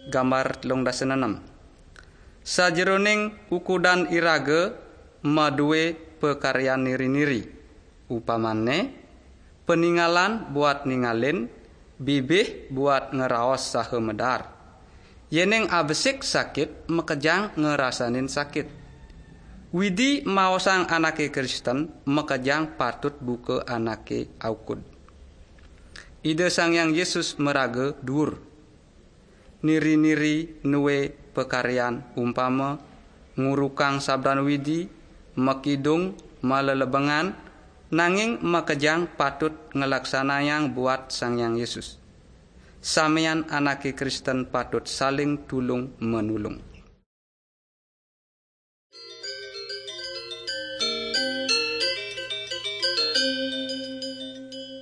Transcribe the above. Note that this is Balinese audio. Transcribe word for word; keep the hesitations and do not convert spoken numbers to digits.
Gambar telung dasa enem. Sajeroning ukudan iraga madue pakaryan niri-niri. Upamane, paningalan buat ningalin, bibih buat ngeraos saha medar. Yening abesik sakit, makejang ngerasanin sakit. Widi maosang anake Kristen, makejang patut buka anake aukud. Ida Sang Hyang Yesus maraga duur. Niri-niri nue pakaryan umpama ngurukang sabdan Widi, makidung, malelebengan, nanging makejang patut ngelaksanayang buat Sang Hyang Yesus. Samian anake Kristen patut saling tulung menulung.